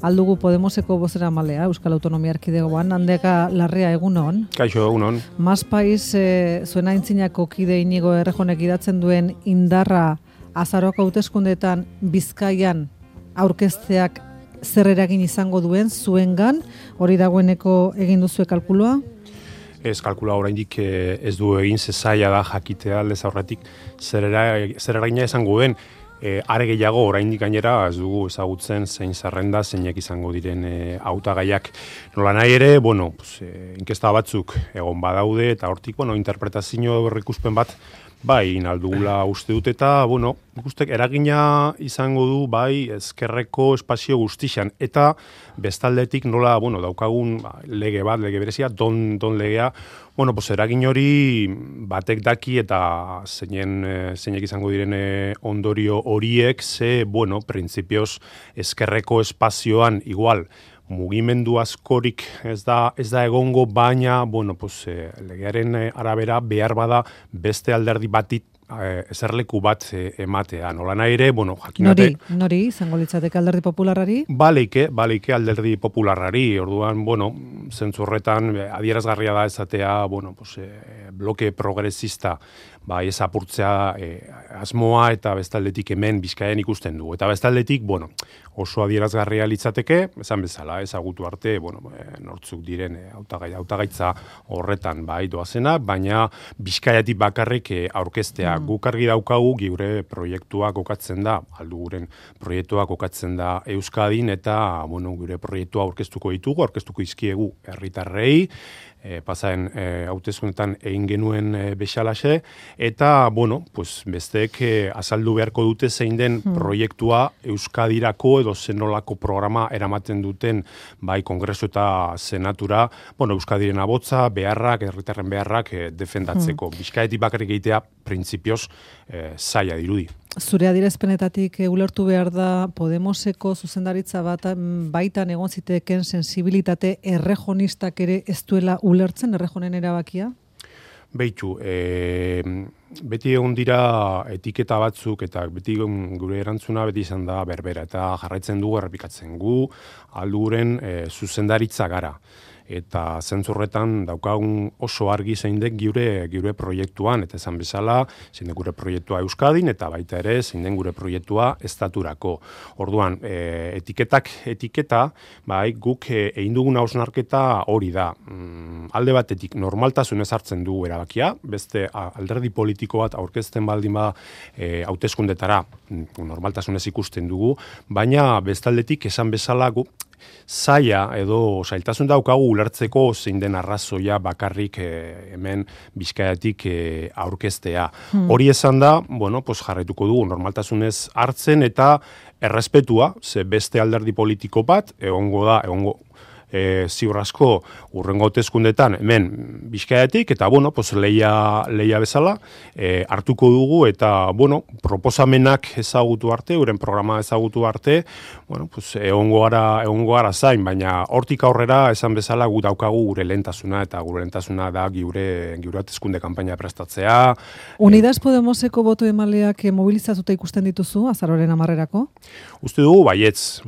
aldugu Podemoseko bozeramalea Euskal Autonomia Erkidegoan, Handeka Larrea, egunon. Kaixo, egunon. Mas Pais, zuen aintzinako kide Inigo Errejonek idatzen duen indarra azaroko hauteskundeetan Bizkaian aurkezteak zer eragin izango duen zuengan, hori dagoeneko egin duzue kalkulua? Ez kalkula oraindik ez du egin, zaila da jakitea aldez aurretik zer eragina izango den. Are gehiago oraindik gainera ez dugu ezagutzen zein zerrenda zeinek izango diren hautagaiak. Nola nahi ere, inkesta batzuk egon badaude eta hortik interpretazio berrikuspen bat bai inaldugula uste dut eta ikustek eragina izango du bai ezkerreko espazio guztixan eta bestaldetik nola daukagun lege berezia, don legea, eragin hori batek daki eta zeinek izango diren ondorio horiek printzipioz ezkerreko espazioan igual mugimendu askorik ez da egongo, baina legearen arabera behar bada beste alderdi batit eserleku bat ematea. Nola nahi ere, jakinate... Nori, izango litzateke alderdi popularrari? Baleike alderdi popularrari, orduan, zentzurretan adierazgarria da ezatea, bloke progresista, ez apurtzea asmoa eta bestaldetik hemen Bizkaian ikusten du. Eta bestaldetik, oso adierazgarria litzateke, esan bezala, ezagutu arte, nortzuk diren hautagaitza horretan doazena, baina Bizkaiatik bakarrik aurkeztea. Guk argi daukagu gure proiektua kokatzen da, alduguren proiektua kokatzen da Euskadin, eta gure proiektua aurkeztuko izkiegu herritarrei, pasaen hauteskundetan egin genuen bezalaxe, eta, besteek azaldu beharko dute zein den proiektua Euskadirako edo zenolako programa eramaten duten bai Kongresu eta Senatura, Euskadiren abotza, beharrak, herritarren beharrak defendatzeko. Bizkaietik bakarrik egitea printzipioz zaila dirudi. Zure adierazpenetatik ulertu behar da Podemoseko zuzendaritza baitan egon ziteken sensibilitate errejonistak ere ez duela ulertzen errejonen erabakia? Beitu, beti egon dira etiketa batzuk eta beti gure erantzuna beti izan da berbera eta jarraitzen dugu errepikatzen gu alduren zuzendaritza gara. Eta zentzurretan daukagun oso argi zein den gure proiektuan, eta esan bezala, zein den gure proiektua Euskadin, eta baita ere, zein den gure proiektua estaturako. Orduan, etiketa, guk egin dugun hausnarketa hori da. Alde batetik, normaltasunez hartzen dugu erabakia, beste alderdi politiko bat aurkezten baldin hauteskundetara normaltasunez ikusten dugu, baina bestaldetik esan bezala guk zaila edo zailtasun daukagu ulertzeko zein den arrazoia bakarrik hemen Bizkaiatik aurkeztea. Hori esan da, jarraituko dugu normaltasunez hartzen eta errespetua, ze beste alderdi politiko bat, egongo ziur asko urrengo hauteskundetan hemen Bizkaiatik eta leia bezala hartuko dugu eta proposamenak ezagutu arte, euren programa ezagutu arte, egongo gara zain, baina hortik aurrera esan bezala gu daukagu gure lehentasuna eta gure lehentasuna da gure hauteskunde kanpaina prestatzea. Unidas Podemoseko boto emaleak mobilizatuta ikusten dituzu azaroaren 10erako? Uste dugu baietz,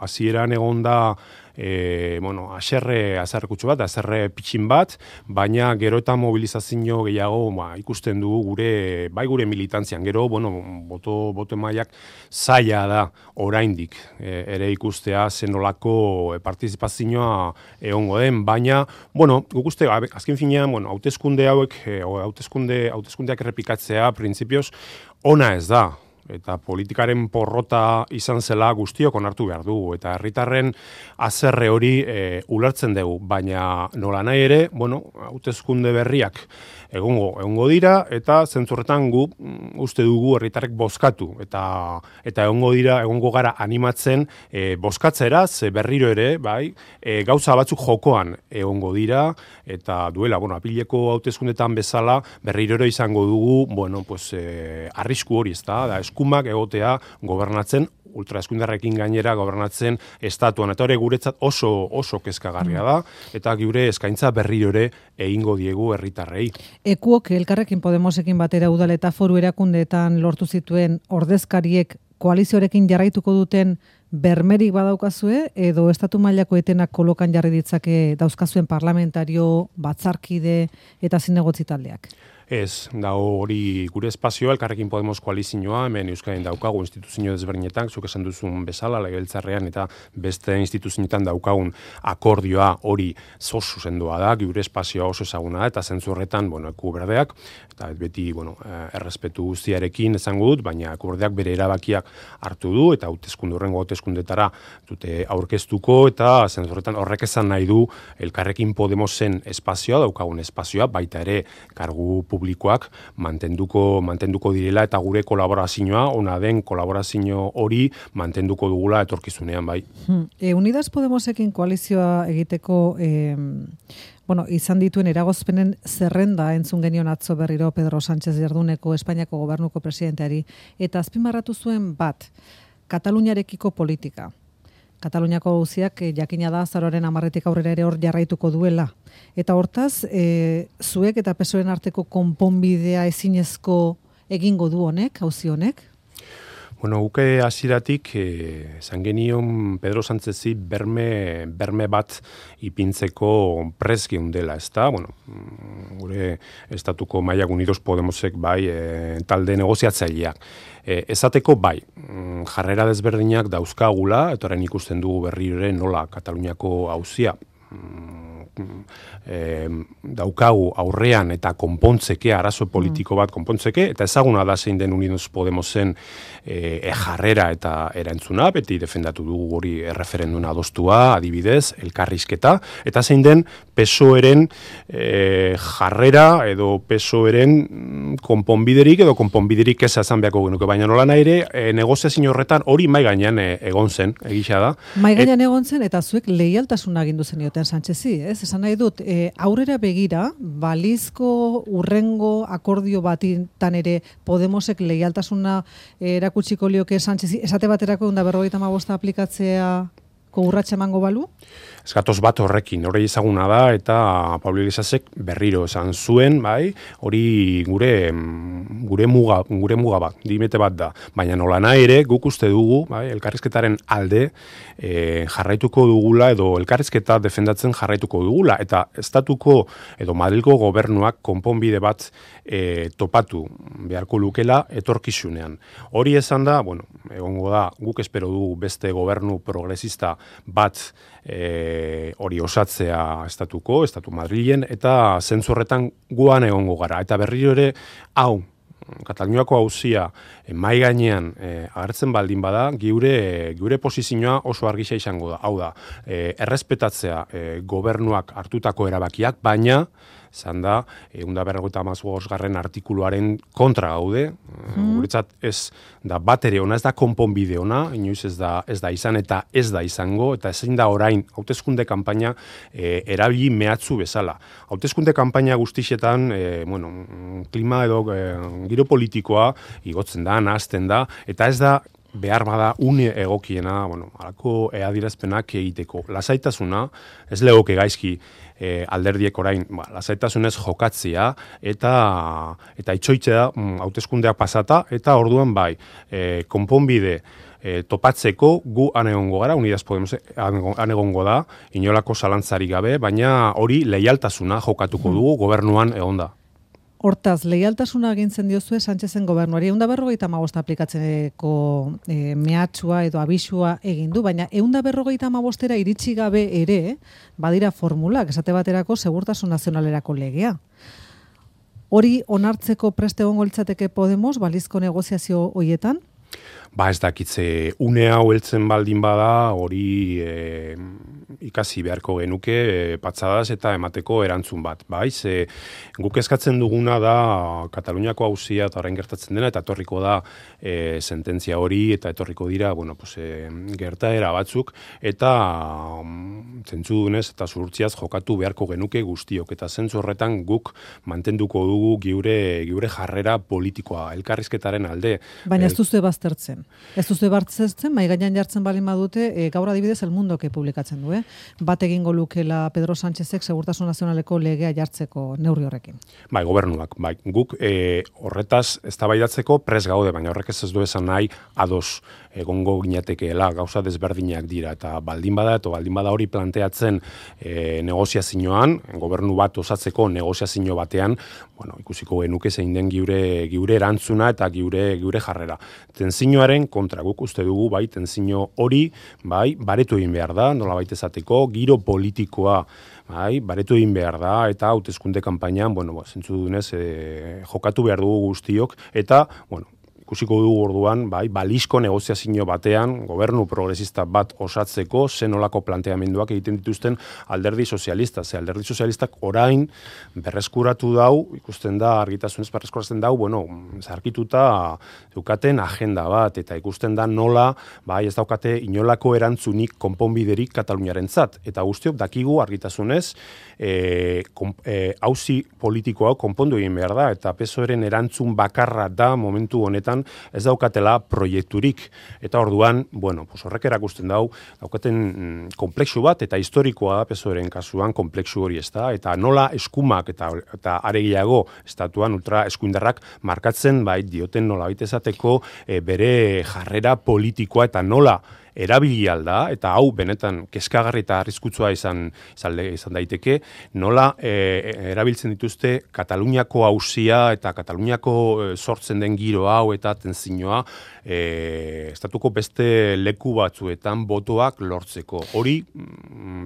hasieran egon da haserre kutsu bat, haserre pitxin bat, baina gero eta mobilizazio gehiago ikusten dugu gure militantzian. Gero, boto emaiak zaila da oraindik ere ikustea zenolako partizipazioa egongo den, baina, guk uste, azken finean, hauteskunde hauek, hauteskundeak errepikatzea, printzipioz, ona ez da. Eta politikaren porrota izan zela guztiok onartu behar dugu. Eta herritarren haserre hori ulertzen dugu, baina nola nahi ere, hauteskunde berriak egongo dira, eta zentzurretan gu uste dugu herritarrek bozkatu. Eta egongo gara animatzen bozkatzera, ze berriro ere, gauza batzuk jokoan egongo dira, eta duela, apileko hauteskundetan bezala, berriro ere izango dugu, arrisku hori, ez da eskumak egotea gobernatzen ultraeskundarrekin gainera gobernatzen estatuan. Eta hori guretzat oso kezkagarria da, eta gure eskaintza berriro ere egingo diegu herritarrei. Ekuok Elkarrekin Podemosekin batera udal eta foru erakundeetan lortu zituen ordezkariek koalizioarekin jarraituko duten bermerik badaukazue edo estatu mailako etenak kolokan jarri ditzake dauzkazuen parlamentario, batzarkide eta zinegotzi taldeak? Ez, da hori gure espazioa, Elkarrekin Podemos koalizioa, hemen Euskadin daukagu instituzio desberdinetan, zuk esan duzun bezala, legebiltzarrean eta beste instituzioetan daukagun akordioa hori oso sendoa da, gure espazioa oso ezaguna da, eta zentzu horretan, eku berdeak, eta beti, errespetu guztiarekin esango dut, baina eku berdeak bere erabakiak hartu du, eta horrengo hauteskundetara dute aurkeztuko, eta zentzu horretan horrek esan nahi du Elkarrekin Podemosen espazioa, daukagun espazioa, baita ere kargu publikoak mantenduko direla eta gure kolaborazioa, ona den kolaborazio hori mantenduko dugula etorkizunean bai. Unidas Podemosekin koalizioa egiteko izan dituen eragozpenen zerrenda entzun genion atzo berriro Pedro Sánchez Jarduneko Espainiako gobernuko presidenteari eta azpimarratu zuen bat, Kataluniarekiko politika. Kataluniako auziak jakina da azaroaren 10 aurrera ere hor jarraituko duela. Eta hortaz, zuek eta PSOEren arteko konponbidea ezinezko egingo du honek, auzi honek? Guke hasieratik esan genion Pedro Sánchezi berme bat ipintzeko prest geundela, ezta? Gure estatuko mailak Unidos Podemosek bai talde negoziatzaileak. Esateko bai, jarrera desberdinak dauzkagula, eta orain ikusten dugu berriro ere nola Kataluniako auzia daukagu aurrean eta konpontzeke, arazo politiko bat konpontzeke, eta ezaguna da zein den Unidos Podemosen jarrera eta erantzuna, beti defendatu dugu hori erreferenduna adostua, adibidez, elkarrizketa, eta zein den PSOEren jarrera edo PSOEren konponbiderik edo konponbiderik ez esan beharko genuke, baina nola nahi ere negoziazio horretan hori mai gainean egon zen, egisa da. Mai gainean egon zen eta zuek leialtasuna agindu zenioten Sánchezi, ez? Esan nahi dut, aurrera begira, balizko urrengo akordio batitan ere Podemosek leialtasuna erakutsiko lioke Sánchezi, esate baterako 155 aplikatzea urratsa emango balu? Ez gatoz bat horrekin, hori ezaguna da, eta Pablo Iglesiasek berriro esan zuen, bai, hori gure muga bat, dimete bat da. Baina nola nahi ere, guk uste dugu, bai, elkarrizketaren alde jarraituko dugula, edo elkarrizketa defendatzen jarraituko dugula, eta estatuko edo Madrilgo gobernuak konponbide bat topatu beharko lukela etorkizunean. Hori esan da, egongo da, guk espero dugu beste gobernu progresista bat hori osatzea Estatu Madrilen, eta zentzu horretan guan egongo gara. Eta berriro ere, Kataluniako auzia mai gainean agertzen baldin bada, geure posizioa oso argisa izango da. Hau da, errespetatzea gobernuak hartutako erabakiak, baina zan da, 155. Artikuluaren kontra gaude, guretzat ez da bat ere ona, ez da konponbide ona, inoiz ez da izan eta ez da izango, eta ezin da orain hauteskunde kanpaina erabili mehatzu bezala. Hauteskunde kanpaina guztixetan, klima edo giro politikoa igotzen da, nahazten da, eta ez da behar bada une egokiena, halako adierazpenak egiteko. Lasaitasuna, ez legoke gaizki alderdiek orain, lasaitasunez jokatzea eta itxoitzea hauteskundeak pasata, eta orduan bai, konponbide topatzeko gu anegongo gara, Unidas Podemos anegongo da, inolako zalantzarik gabe, baina hori leialtasuna jokatuko dugu gobernuan egonda. Hortaz, leialtasuna agintzen diozue Sánchezen gobernuari 155 aplikatzeko mehatxua edo abisua egin du, baina 155era iritsi gabe ere badira formulak, esate baterako segurtasun nazionalerako legea. Hori onartzeko preste egongo litzateke Podemos balizko negoziazio hoietan? Ez dakitze, une hau heltzen baldin bada, hori ikasi beharko genuke patxadaz eta emateko erantzun bat. Ze guk eskatzen duguna da Kataluniako auzia eta orain gertatzen dena, eta etorriko da sententzia hori, eta etorriko dira gertaera batzuk, eta zentzu dunez eta zuhurtziaz jokatu beharko genuke guztiok, eta zentzu horretan guk mantenduko dugu geure jarrera politikoa, elkarrizketaren alde. Baina ez duzue baztertzen. Ez duzue baztertzen, mai gainean jartzen balin badute, gaur adibidez El Mundoke publikatzen du, bat egingo lukela Pedro Sánchezek Segurtasun Nazionaleko legea jartzeko neurri horrekin. Bai, gobernuak, bai. Guk horretaz eztabaidatzeko prest gaude, baina horrek ez du esan nahi ados egongo ginatekeela, gauza desberdinak dira, eta baldin bada hori planteatzen negoziazioan, gobernu bat osatzeko negoziazio batean, bueno, ikusiko genuke zein den giure erantzuna eta giure jarrera. Tenzioaren kontra guk uste dugu, bai, tenzio hori, bai, baretu egin behar da, nolabait esateko, giro politikoa, bai, baretu egin behar da, eta hauteskunde kanpainan, bueno, zentzu dunez, jokatu behar dugu guztiok, eta, bueno, ikusiko dugu orduan, bai, balizko negoziazio batean, gobernu progresista bat osatzeko, zenolako planteamenduak egiten dituzten alderdi sozialista. Alderdi sozialistak orain berreskuratu dau, ikusten da, argitasunez berreskuratzen dau, bueno, zarkituta dukaten agenda bat, eta ikusten da nola, bai, ez daukate inolako erantzunik konponbiderik Kataluniarentzat. Eta guztiok dakigu argitasunez, auzi politikoa konpondu egin behar da, eta PSOEren erantzun bakarra da momentu honetan ez daukatela proiekturik. Eta orduan, bueno, horrek erakusten daukaten komplexu bat, eta historikoa da PSOEren kasuan komplexu hori ez da, eta nola eskumak eta aregiago estatuan ultra eskuindarrak markatzen, bai, dioten nola baitezateko bere jarrera politikoa, eta nola erabili alda, eta hau benetan kezkagarri eta arriskutsua izan daiteke, nola erabiltzen dituzte Kataluniako auzia eta Kataluniako sortzen den giro hau eta tenzioa estatuko beste leku batzuetan botoak lortzeko. Hori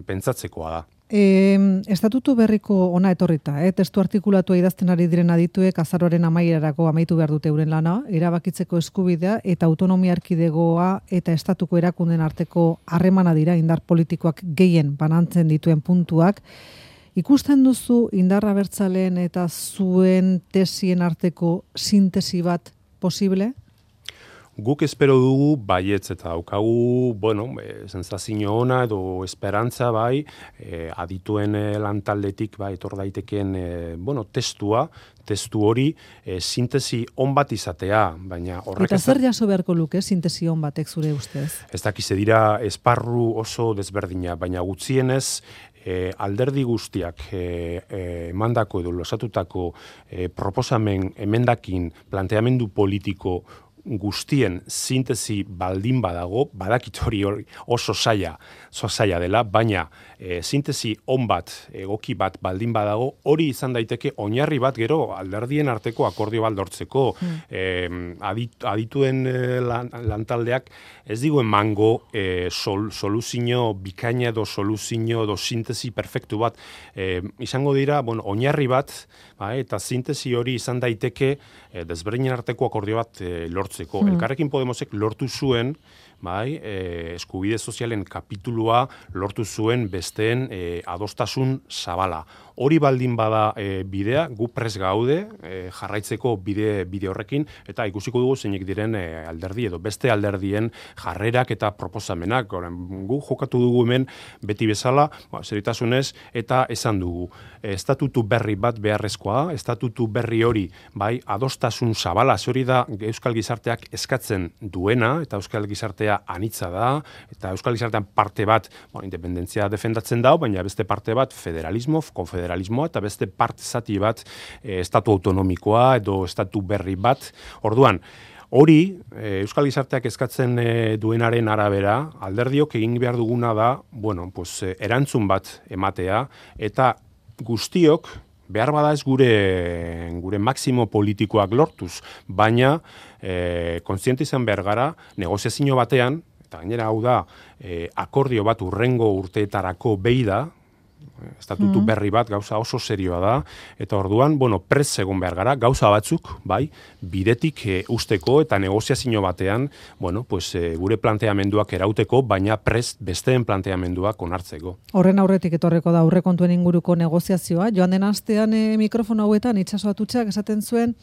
pentsatzekoa da. Estatutu berriko ona etorrita, testu artikulatua idazten ari diren adituek azaroaren amaierarako amaitu behar dute euren lana, erabakitzeko eskubidea eta autonomia erkidegoa eta estatuko erakunden arteko harremana dira indar politikoak gehien banantzen dituen puntuak. Ikusten duzu indar abertzaleen eta zuen tesien arteko sintesi bat posible? Guk espero dugu baietz eta daukagu, bueno, sensazio ona edo esperantza bai, adituen lantaldetik bai etor daitekeen, bueno, testu hori sintesi on bat izatea, baina horrek... Eta zer jaso beharko luke sintesi on batek zure ustez? Ez dakize dira esparru oso desberdina, baina gutxienez alderdi guztiak emandako edo losatutako proposamen emendakin planteamendu politiko guztien sintesi baldin badago, badakit hori oso zaila dela, baina sintesi on bat, egoki bat baldin badago, hori izan daiteke oinarri bat gero alderdien arteko akordio bat lortzeko. Adituen lantaldeak ez digu emango soluzio bikaina edo soluzio edo sintesi perfektu bat. Izango dira, bueno, oinarri bat, eta sintesi hori izan daiteke desberdinen arteko akordio bat lortzeko. Elkarrekin Podemosek lortu zuen, eskubide sozialen kapitulua lortu zuen besteen adostasun zabala. Hori baldin bada bidea, gu prest gaude jarraitzeko bide horrekin, eta ikusiko dugu zeinek diren alderdi edo beste alderdien jarrerak eta proposamenak. Gu jokatu dugu hemen beti bezala, seritasunez, eta esan dugu. Estatutu berri bat beharrezkoa, estatutu berri hori, bai, adostasun zabala, hori da Euskal Gizarteak eskatzen duena, eta Euskal Gizartea anitza da, eta Euskal Gizartean parte bat, independentzia defendatzen dau, baina beste parte bat federalismo, konfederalismoa, eta beste parte zati bat estatu autonomikoa edo estatu berri bat. Orduan, hori, Euskal Gizarteak eskatzen duenaren arabera, alderdiok egin behar duguna da, bueno, pues, erantzun bat ematea, eta guztiok, behar bada ez gure maksimo politikoak lortuz, baina kontziente izan behar gara, negoziazio batean, eta gainera hau da, akordio bat urrengo urteetarako behi da, estatutu berri bat gauza oso serioa da, eta orduan, bueno, prest egon behar gara, gauza batzuk, bai, bidetik usteko eta negoziazio batean, bueno, pues, gure planteamenduak erauteko, baina prest besteen planteamenduak onartzeko. Horren aurretik etorreko da aurrekontuen inguruko negoziazioa, joan den astean mikrofono hauetan Itxaso Atutxak esaten zuen,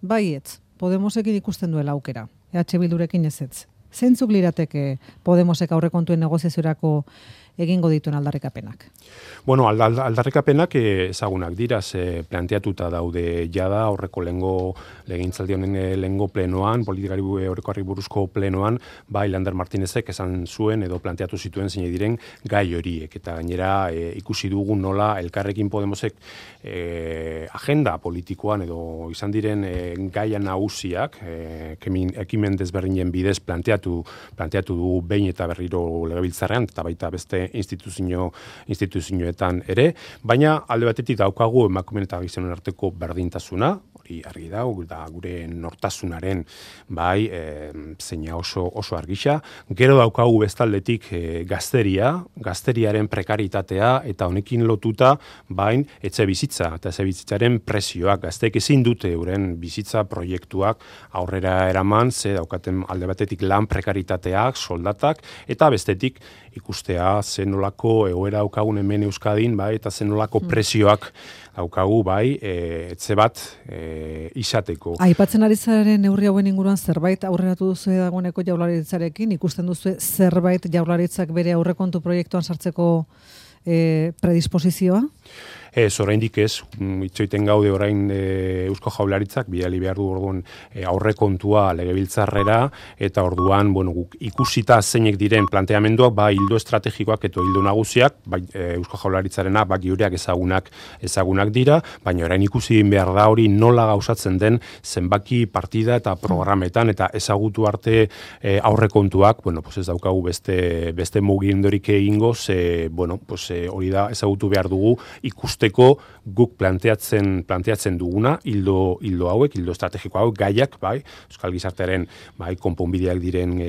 baietz, Podemosekin ikusten duela aukera, EH Bildurekin ezetz. Zeintzuk lirateke Podemosek aurrekontuen negoziaziorako egingo dituen aldarrikapenak. Bueno, aldarrikapenak ezagunak dira, planteatuta daude jada aurreko legegintzaldi honen lehengo plenoan, politikari orokorrari buruzko plenoan, Lander Martinezek esan zuen edo planteatu zituen zein diren gai horiek. Eta gainera ikusi dugu nola Elkarrekin Podemosek agenda politikoan edo izan diren gaia nagusiak ekimen desberdinen bidez planteatu dugu behin eta berriro legebiltzarrean eta baita beste instituzioetan ere, baina alde batetik daukagu emakumeen eta gizonen arteko berdintasuna, hori argi da gure nortasunaren zeina oso argisa. Gero daukagu bestaldetik gazteriaren prekaritatea eta honekin lotuta etxe bizitza eta etxe bizitzaren presioak. Gazteek ezin dute euren bizitza proiektuak aurrera eraman, ze daukaten alde batetik lan prekaritateak, soldatak, eta bestetik ikustea zenolako egoera daukagun hemen Euskadin, eta zenolako presioak daukagu, etxe bat izateko. Aipatzen ari zaren neurri hauen inguruan zerbait aurreratu duzu dagoeneko Jaurlaritzarekin, ikusten duzu zerbait Jaurlaritzak bere aurrekontu proiektuan sartzeko predisposizioa? Oraindik ez, itxoiten gaude orain Eusko Jaurlaritzak bidali behar du orduan aurrekontua legebiltzarrera eta orduan guk ikusita zeinek diren planteamenduak ildo estrategikoak eta ildo nagusiak Eusko Jaurlaritzarena geureak ezagunak dira, baina orain ikusi behar da hori nola gauzatzen den zenbaki partida eta programetan eta ezagutu arte aurrekontuak, ez daukagu beste mugimendurik egingo, hori da ezagutu behar dugu ikusteko guk planteatzen duguna, hildo hauek, hildo estrategiko hauek, gaiak, Euskal Gizartearen konponbideak diren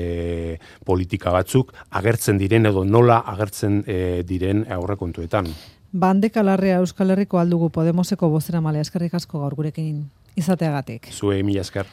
politika batzuk, agertzen diren edo nola agertzen diren aurrekontuetan. Bandeka Larrea Euskal Herriko aldugu Podemoseko bozeramalea, eskerrik asko gaur gurekin izateagatik. Zuei mila esker.